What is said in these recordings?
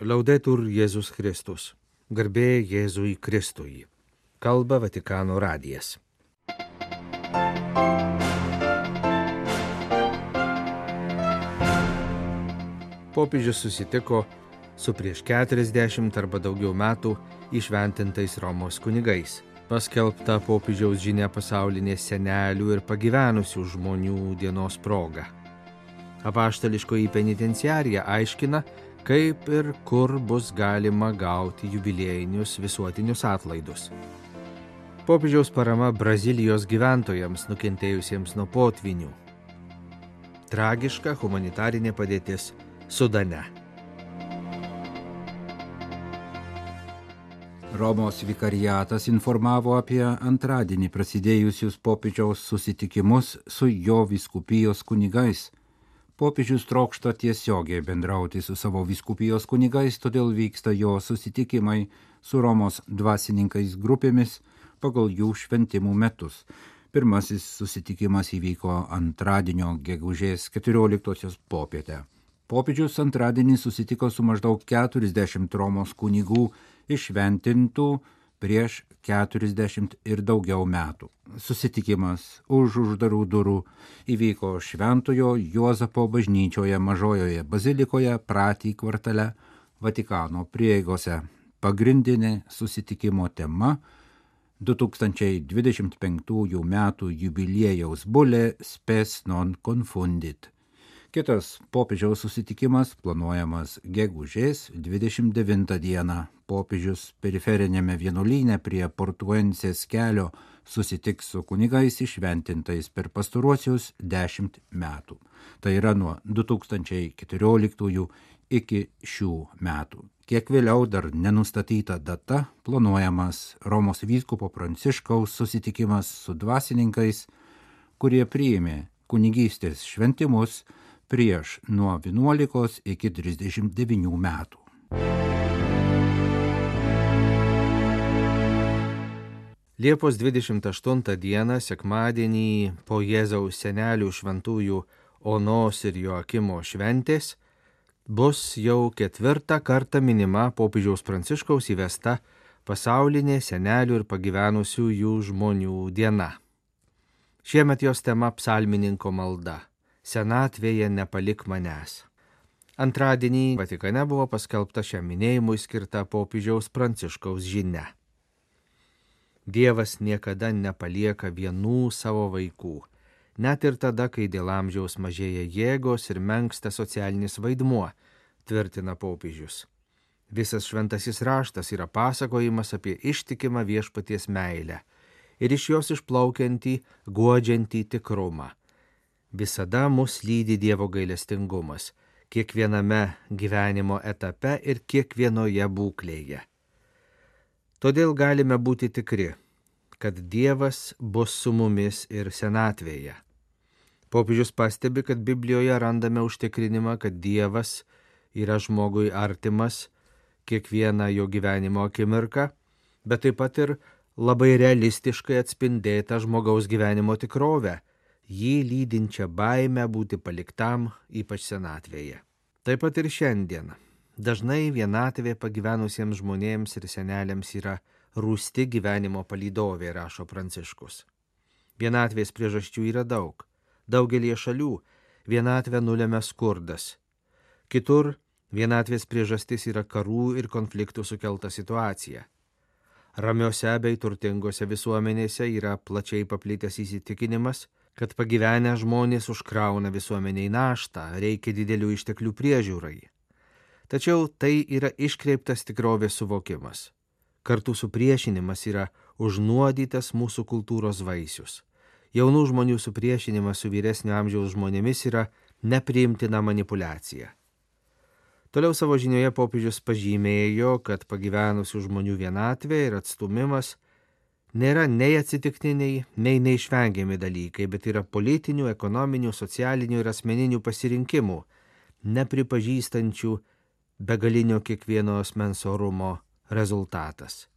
Laudetur Jėzus Kristus. Garbė Jėzui Kristui. Kalba Vatikano radijas. Popiežius susitiko su prieš 40 arba daugiau metų įšventintais Romos kunigais. Paskelbta popiežiaus žinia pasaulinės senelių ir pagyvenusių žmonių dienos proga. Apaštališkoji penitenciarija aiškina, kaip ir kur bus galima gauti jubiliejinius visuotinius atlaidus. Popiežiaus parama Brazilijos gyventojams nukentėjusiems nuo potvinių. Tragiška humanitarinė padėtis Sudane. Romos vikariatas informavo apie antradienį prasidėjusius popiežiaus susitikimus su jo vyskupijos kunigais. Popiežius trokšta tiesiogiai bendrauti su savo vyskupijos kunigais, todėl vyksta jo susitikimai su Romos dvasininkais grupėmis pagal jų šventimų metus. Pirmasis susitikimas įvyko antradienio gegužės 14 popietę. Popiežius antradienį susitiko su maždaug 40 Romos kunigų iššventintų prieš 40 ir daugiau metų. Susitikimas už uždarų durų įvyko Šventojo Juozapo bažnyčioje Mažojoje bazilikoje Prati kvartale Vatikano prieigose. Pagrindinė susitikimo tema 2025 metų jubiliejaus bulė Spes non confundit. Kitas popiežiaus susitikimas planuojamas gegužės 29 dieną. Popiežius periferinėme vienuolyne prie Portuensės kelio susitiks su kunigais iššventintais per pastaruosius 10 metų. Tai yra nuo 2014 iki šių metų. Kiek vėliau dar nenustatyta data planuojamas Romos vyskupo Pranciškaus susitikimas su dvasininkais, kurie priėmė kunigystės šventimus prieš nuo 11 iki 39 metų. Liepos 28 dieną, sekmadienį, po Jėzaus senelių šventųjų Onos ir Joakimo šventės, bus jau 4 kartą minima popiežiaus Pranciškaus įvesta pasaulinė senelių ir pagyvenusiųjų žmonių diena. Šiemet jos tema psalmininko malda. Senatvėje nepalik manęs. Antradienį Vatikane buvo paskelbta šiam minėjimui skirta popiežiaus Pranciškaus žinia. Dievas niekada nepalieka vienų savo vaikų, net ir tada, kai dėl amžiaus mažėja jėgos ir menksta socialinis vaidmuo, tvirtina popiežius. Visas šventasis raštas yra pasakojimas apie ištikimą viešpaties meilę ir iš jos išplaukiantį, guodžiantį tikrumą. Visada mus lydi Dievo gailestingumas, kiekviename gyvenimo etape ir kiekvienoje būklėje. Todėl galime būti tikri, kad Dievas bus su mumis ir senatvėje. Popiežius pastebi, kad Biblijoje randame užtikrinimą, kad Dievas yra žmogui artimas kiekvieną jo gyvenimo akimirką, bet taip pat ir labai realistiškai atspindėta žmogaus gyvenimo tikrovę, jį lydinčią baimę būti paliktam, ypač senatvėje. Taip pat ir šiandien. Dažnai vienatvė pagyvenusiems žmonėms ir seneliams yra rūsti gyvenimo palydovė, rašo Pranciškus. Vienatvės priežasčių yra daug. Daugelie šalių vienatvę nulemia skurdas. Kitur vienatvės priežastis yra karų ir konfliktų sukelta situacija. Ramiose bei turtingose visuomenėse yra plačiai paplitęs įsitikinimas, kad pagyvenę žmonės užkrauna visuomeniai naštą, reikia didelių išteklių priežiūrai. Tačiau tai yra iškreiptas tikrovės suvokimas. Kartu supriešinimas yra užnuodytas mūsų kultūros vaisius. Jaunų žmonių supriešinimas su vyresnio amžiaus žmonėmis yra nepriimtina manipulacija. Toliau savo žinioje popiežius pažymėjo, kad pagyvenusių žmonių vienatvė ir atstumimas nėra nei atsitiktiniai, nei neišvengiami dalykai, bet yra politinių, ekonominių, socialinių ir asmeninių pasirinkimų, nepripažįstančių begalinio kiekvieno asmens orumo rezultatas.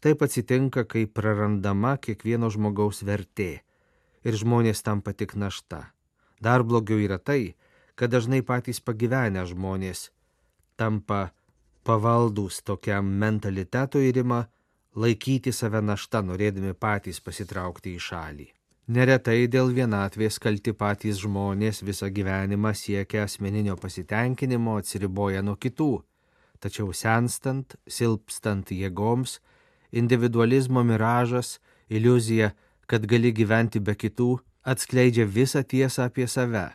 Taip atsitinka, kai prarandama kiekvieno žmogaus vertė ir žmonės tampa tik našta. Dar blogiau yra tai, kad dažnai patys pagyvenę žmonės tampa pavaldūs tokiam mentalitetui ir ima laikyti save našta, norėdami patys pasitraukti į šalį. Neretai dėl vienatvės kalti patys žmonės visą gyvenimą siekia asmeninio pasitenkinimo, atsiriboja nuo kitų, tačiau senstant, silpstant jėgoms, individualizmo miražas, iliuzija, kad gali gyventi be kitų, atskleidžia visą tiesą apie save.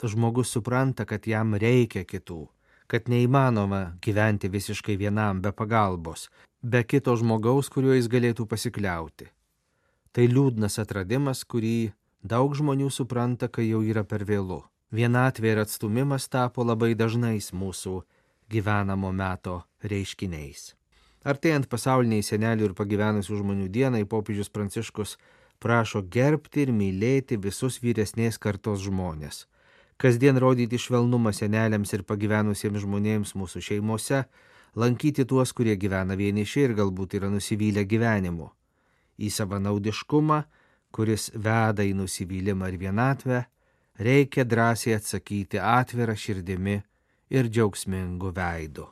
Žmogus supranta, kad jam reikia kitų, kad neįmanoma gyventi visiškai vienam be pagalbos, be kito žmogaus, kuriuo jis galėtų pasikliauti. Tai liūdnas atradimas, kurį daug žmonių supranta, kai jau yra per vėlu. Vienatvė ir atstumimas tapo labai dažnais mūsų gyvenamo meto reiškiniais. Artėjant pasauliniai senelių ir pagyvenusių žmonių dienai, popiežius Pranciškus prašo gerbti ir mylėti visus vyresnės kartos žmonės. Kasdien rodyti švelnumą seneliams ir pagyvenusiems žmonėms mūsų šeimose, lankyti tuos, kurie gyvena vieniši ir galbūt yra nusivylę gyvenimu. Į savanaudiškumą, kuris veda į nusivylimą ir vienatvę, reikia drąsiai atsakyti atvira širdimi ir džiaugsmingu veidu.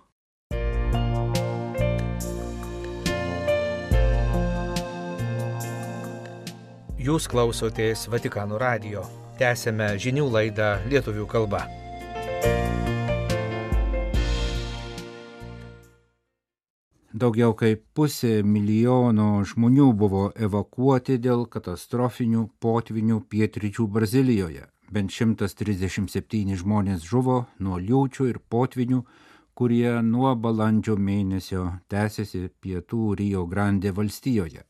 Jūs klausotės Vatikano radijo. Tęsėme žinių laidą lietuvių kalba. Daugiau kaip 500 milijono žmonių buvo evakuoti dėl katastrofinių potvinių pietryčių Brazilijoje. Bent 137 žmonės žuvo nuo liūčių ir potvinių, kurie nuo balandžio mėnesio tęsiasi pietų Rio Grande valstijoje.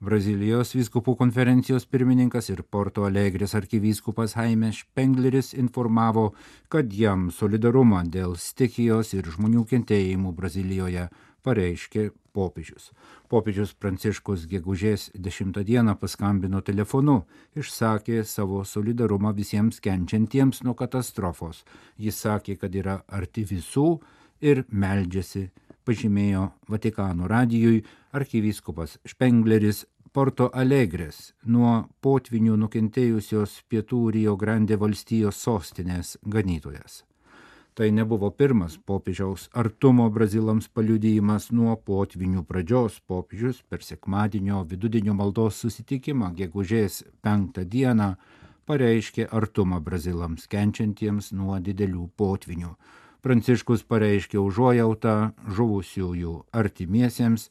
Brazilijos vyskupų konferencijos pirmininkas ir Porto Alegres arkivyskupas Jaime Spengleris informavo, kad jam solidarumą dėl stichijos ir žmonių kentėjimų Brazilijoje pareiškė popiežius. Popiežius Pranciškus gegužės 10 dieną paskambino telefonu, išsakė savo solidarumą visiems kenčiantiems nuo katastrofos. Jis sakė, kad yra arti visų ir meldžiasi, pažymėjo Vatikano radijui arkivyskupas Spengleris Porto Alegres, nuo potvinių nukentėjusios pietų Rio Grande valstijos sostinės ganytojas. Tai nebuvo pirmas popiežiaus artumo brazilams paliudijimas nuo potvinių pradžios. Popiežius per sekmadienio vidudienio maldos susitikimą gegužės 5 dieną pareiškė artumą brazilams kenčiantiems nuo didelių potvinių. Pranciškus pareiškė užuojautą žuvusiųjų artimiesiems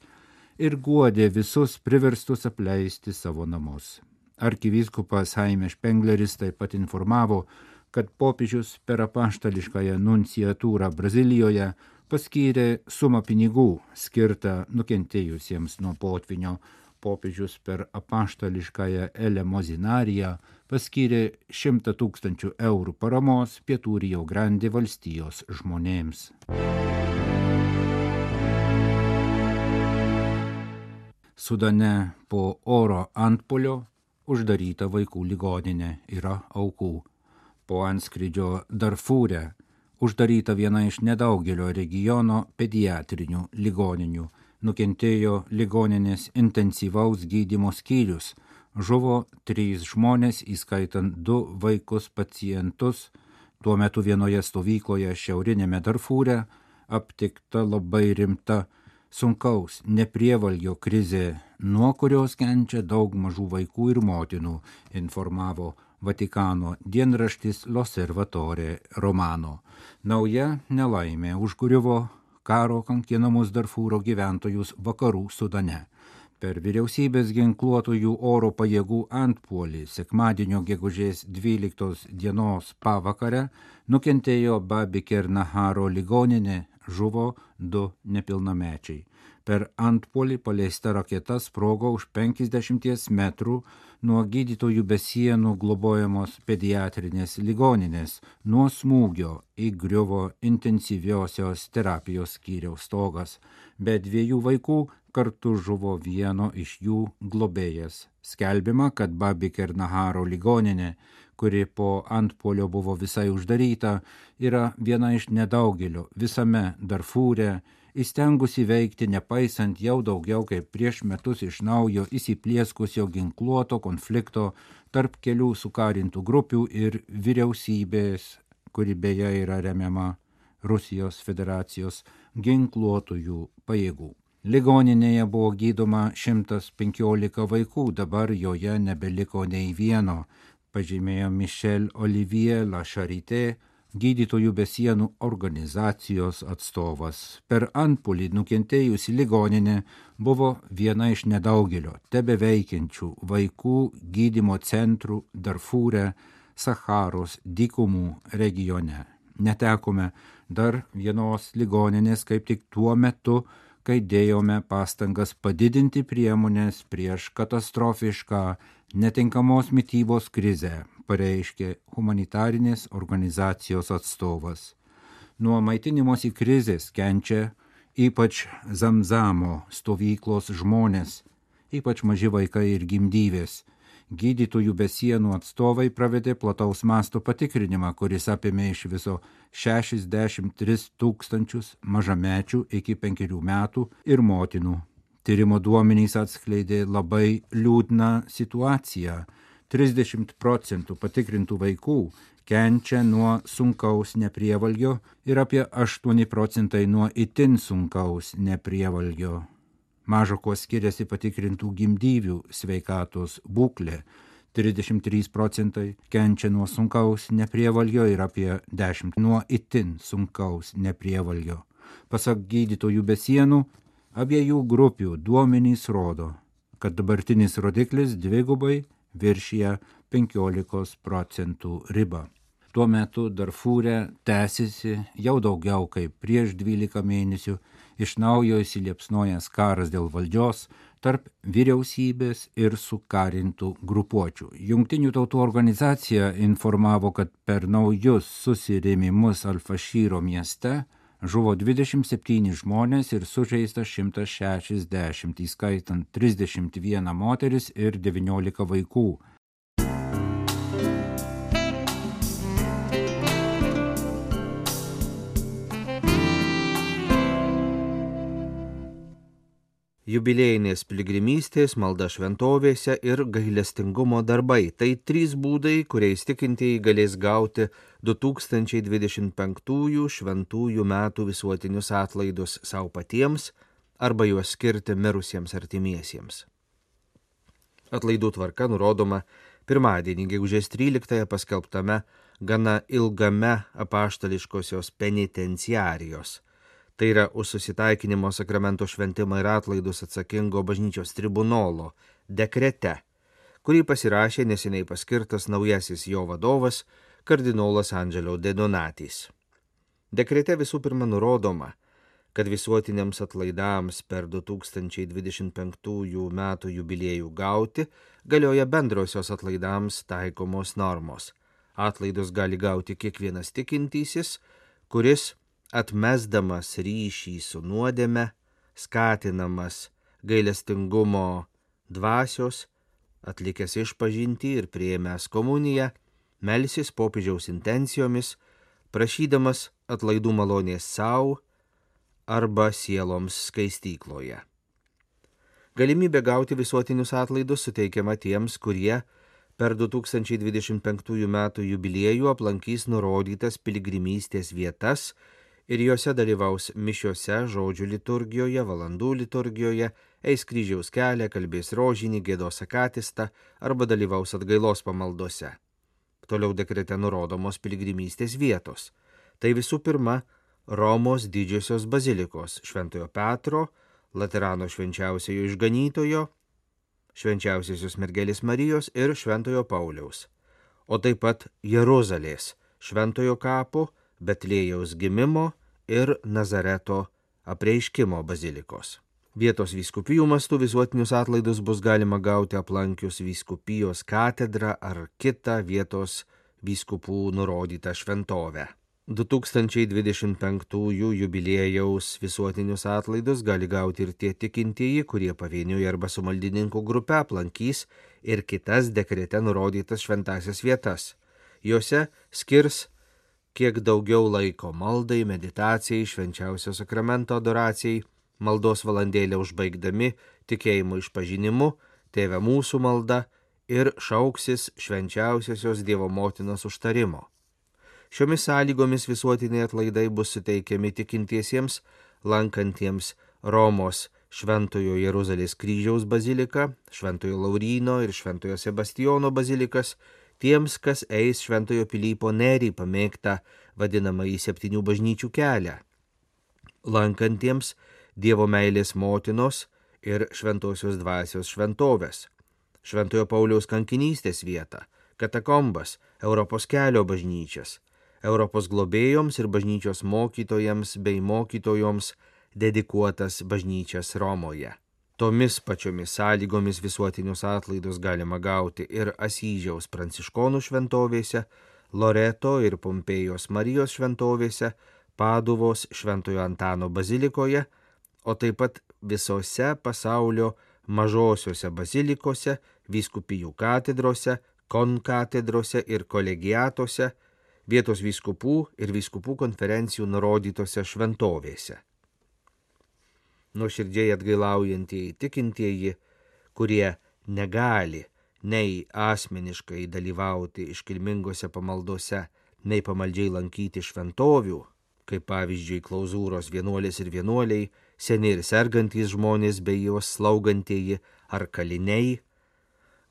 ir guodė visus priverstus apleisti savo namus. Arkivyskupas Jaime Spengleris taip pat informavo, kad popiežius per apaštališkąją nunciatūrą Brazilijoje paskyrė sumą pinigų skirtą nukentėjusiems nuo potvinio. Popiežius per apaštališkąją elemozinariją paskyrė 100 000 eurų paramos pietų Rio Grande valstijos žmonėms. Sudane po oro antpuolio uždaryta vaikų ligoninė, yra aukų. Po antskrydžio Darfūre uždaryta viena iš nedaugelio regiono pediatrinių ligoninių. Nukentėjo ligoninės intensyvaus gydymo skyrius. Žuvo 3 žmonės, įskaitant 2 vaikus pacientus. Tuo metu vienoje stovykloje šiaurinėme Darfūre aptikta labai rimta sunkaus neprievalgio krizė, nuo kurios kenčia daug mažų vaikų ir motinų, informavo Vatikano dienraštis L'Osservatore Romano. Nauja nelaimė užgriuvo karo kankinamus Darfūro gyventojus vakarų Sudane. Per vyriausybės ginkluotojų oro pajėgų antpuolį sekmadienio gegužės 12 dienos pavakarę nukentėjo Babi Kernaharo ligoninė, žuvo 2 nepilnamečiai. Per antpuolį paleista raketa sprogo už 50 metrų nuo gydytojų be sienų globojamos pediatrinės ligoninės. Nuo smūgio įgriuvo intensyviosios terapijos skyriaus stogas. Be 2 vaikų kartu žuvo vieno iš jų globėjas. Skelbiama, kad Babi Kernaharo ligoninė, kuri po antpuolio buvo visai uždaryta, yra viena iš nedaugelio visame Darfūre, įstengusi veikti nepaisant jau daugiau kaip prieš metus iš naujo įsiplieskusio ginkluoto konflikto tarp kelių sukarintų grupių ir vyriausybės, kuri beje yra remiama Rusijos federacijos ginkluotųjų pajėgų. Ligoninėje buvo gydoma 115 vaikų, dabar joje nebeliko nei vieno, pažymėjo Michel Olivier La Charité, Gydytojų be sienų organizacijos atstovas. Per antpuolį nukentėjusi ligoninė buvo viena iš nedaugelio tebeveikiančių vaikų gydymo centrų Darfūre, Sacharos dykumų regione. Netekome dar vienos ligoninės kaip tik tuo metu, kai dėjome pastangas padidinti priemonės prieš katastrofišką netinkamos mitybos krizę, pareiškė humanitarinės organizacijos atstovas. Nuo maitinimosi krizės kenčia ypač Zamzamo stovyklos žmonės, ypač maži vaikai ir gimdyvės. Gydytojų be sienų atstovai pravedė plataus masto patikrinimą, kuris apėmė iš viso 63 000 mažamečių iki 5 metų ir motinų. Tyrimo duomenys atskleidė labai liūdną situaciją. 30% patikrintų vaikų kenčia nuo sunkaus neprievalgio ir apie 8% nuo itin sunkaus neprievalgio. Mažo kuo skiriasi patikrintų gimdyvių sveikatos būklė. 33% kenčia nuo sunkaus neprievalgio ir apie 10% nuo itin sunkaus neprievalgio. Pasak Gydytojų be sienų, abiejų grupių duomenys rodo, kad dabartinis rodiklis dvigubai viršija 15% ribą. Tuo metu Darfūre tęsiasi jau daugiau kaip prieš 12 mėnesių iš naujo įsiliepsnojęs karas dėl valdžios tarp vyriausybės ir sukarintų grupuočių. Jungtinių tautų organizacija informavo, kad per naujus susirėmimus Al-Fašyro mieste žuvo 27 žmonės ir sužeista 160, įskaitant 31 moteris ir 19 vaikų. Jubiliejinės piligrimystės, malda šventovėse ir gailestingumo darbai – tai 3 būdai, kuriais tikintieji galės gauti 2025 šventųjų metų visuotinius atlaidus savo patiems arba juos skirti mirusiems artimiesiems. Atlaidų tvarka nurodoma pirmadienį, gegužės 13 paskelbtame gana ilgame apaštališkosios penitenciarijos. Tai yra už susitaikinimo sakramento šventimą ir atlaidus atsakingo bažnyčios tribunolo dekrete, kurį pasirašė neseniai paskirtas naujasis jo vadovas kardinolas Angelo De Donatis. Dekrete visų pirma nurodoma, kad visuotiniams atlaidams per 2025 metų jubiliejų gauti galioja bendrosios atlaidams taikomos normos. Atlaidus gali gauti kiekvienas tikintysis, kuris atmesdamas ryšį su nuodėme, skatinamas gailestingumo dvasios, atlikęs išpažintį ir priėmęs komuniją, melsis popiežiaus intencijomis, prašydamas atlaidų malonės savo arba sieloms skaistykloje. Galimybė gauti visuotinius atlaidus suteikiama tiems, kurie per 2025 metų jubiliejų aplankys nurodytas piligrimystės vietas ir juose dalyvaus mišiose, žodžių liturgijoje, valandų liturgijoje, eis kryžiaus kelią, kalbės rožinį, giedos akatistą arba dalyvaus atgailos pamaldose. Toliau dekrete nurodomos piligrimystės vietos. Tai visų pirma Romos didžiosios bazilikos Šventojo Petro, Laterano švenčiausiojo išganytojo, Švenčiausiosios mergelės Marijos ir Šventojo Pauliaus, o taip pat Jeruzalės, Šventojo kapo, Betliejaus gimimo ir Nazareto apreiškimo bazilikos. Vietos vyskupijų mastų visuotinius atlaidus bus galima gauti aplankius vyskupijos katedrą ar kitą vietos vyskupų nurodytą šventovę. 2025 jubiliejaus visuotinius atlaidus gali gauti ir tie tikintieji, kurie pavieniui arba su maldininkų grupe aplankys ir kitas dekrete nurodytas šventasias vietas. Jose skirs kiek daugiau laiko maldai, meditacijai, švenčiausio sakramento adoracijai, maldos valandėlę užbaigdami tikėjimo išpažinimu, Tėve mūsų malda ir šauksis švenčiausiosios Dievo motinos užtarimo. Šiomis sąlygomis visuotiniai atlaidai bus suteikiami tikintiesiems, lankantiems Romos Šventojo Jeruzalės kryžiaus baziliką, Šventojo Lauryno ir Šventojo Sebastijono bazilikas, tiems, kas eis Šventojo Pilypo Nerį pamėgtą vadinamąjį 7 bažnyčių kelią, lankantiems Dievo meilės motinos ir Šventosios dvasios šventovės, Šventojo Pauliaus kankinystės vietą, katakombas, Europos kelio bažnyčias, Europos globėjoms ir bažnyčios mokytojams bei mokytojoms dedikuotas bažnyčias Romoje. Tomis pačiomis sąlygomis visuotinius atlaidus galima gauti ir Asyžiaus pranciškonų šventovėse, Loreto ir Pompėjos Marijos šventovėse, Paduvos Šventojo Antano bazilikoje, o taip pat visose pasaulio mažosiuose bazilikose, vyskupijų katedrose, konkatedrose ir kolegiatuose, vietos vyskupų ir vyskupų konferencijų nurodytose šventovėse. Nuoširdžiai atgailaujantieji tikintieji, kurie negali nei asmeniškai dalyvauti iškilmingose pamaldose, nei pamaldžiai lankyti šventovių, kaip pavyzdžiui klauzūros vienuolės ir vienuoliai, seni ir sergantys žmonės bei juos slaugantieji ar kaliniai,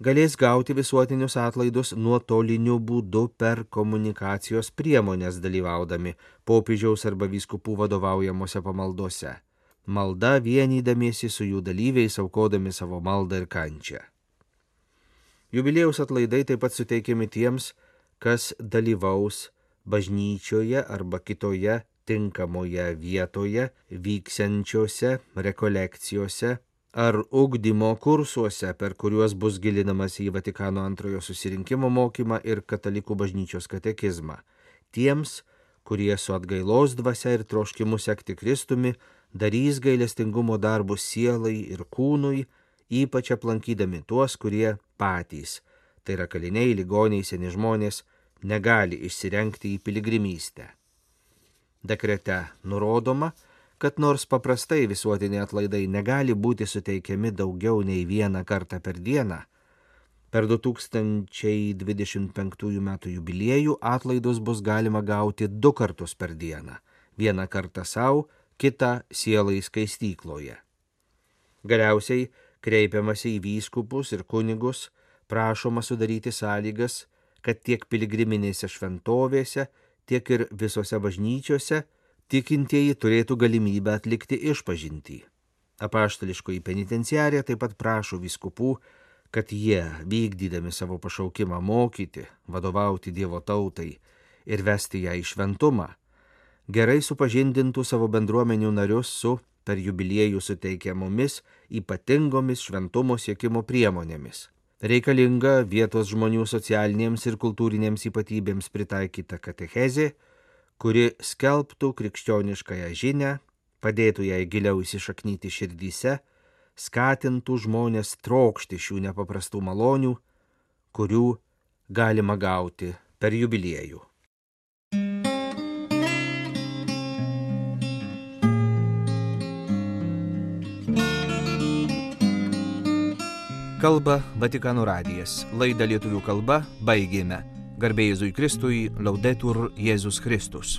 galės gauti visuotinius atlaidus nuotoliniu būdu per komunikacijos priemonės dalyvaudami popiežiaus arba vyskupų vadovaujamuose pamaldose. Malda vienydamiesi su jų dalyviais, aukodami savo maldą ir kančią. Jubiliejaus atlaidai taip pat suteikiami tiems, kas dalyvaus bažnyčioje arba kitoje tinkamoje vietoje vyksiančiose rekolekcijose ar ugdymo kursuose, per kuriuos bus gilinamas į Vatikano antrojo susirinkimo mokymą ir katalikų bažnyčios katekizmą. Tiems, kurie su atgailos dvasia ir troškimu sekti Kristumi, darys gailestingumo darbus sielai ir kūnui, ypač aplankydami tuos, kurie patys, tai yra kaliniai, ligoniai, seni žmonės, negali išsirengti į piligrimystę. Dekrete nurodoma, kad nors paprastai visuotiniai atlaidai negali būti suteikiami daugiau nei vieną kartą per dieną, per 2025 metų jubiliejų atlaidus bus galima gauti 2 kartus per dieną, vieną kartą savo, kitą sielai skaistykloje. Galiausiai kreipiamasi į vyskupus ir kunigus, prašoma sudaryti sąlygas, kad tiek piligriminėse šventovėse, tiek ir visose bažnyčiose tikintieji turėtų galimybę atlikti išpažintį. Apaštališkoji penitenciarija taip pat prašo vyskupų, kad jie, vykdydami savo pašaukimą mokyti, vadovauti Dievo tautai ir vesti ją į šventumą, gerai supažindintų savo bendruomenių narius su per jubiliejų suteikiamomis ypatingomis šventumo siekimo priemonėmis. Reikalinga vietos žmonių socialinėms ir kultūrinėms ypatybėms pritaikyta katechezė, kuri skelbtų krikščioniškąją žinią, padėtų jai giliau įsišaknyti širdyse, skatintų žmonės trokšti šių nepaprastų malonių, kurių galima gauti per jubiliejų. Kalba Vatikano radijas. Laidą lietuvių kalba baigėme. Garbė Jėzui Kristui, Laudetur Jėzus Kristus.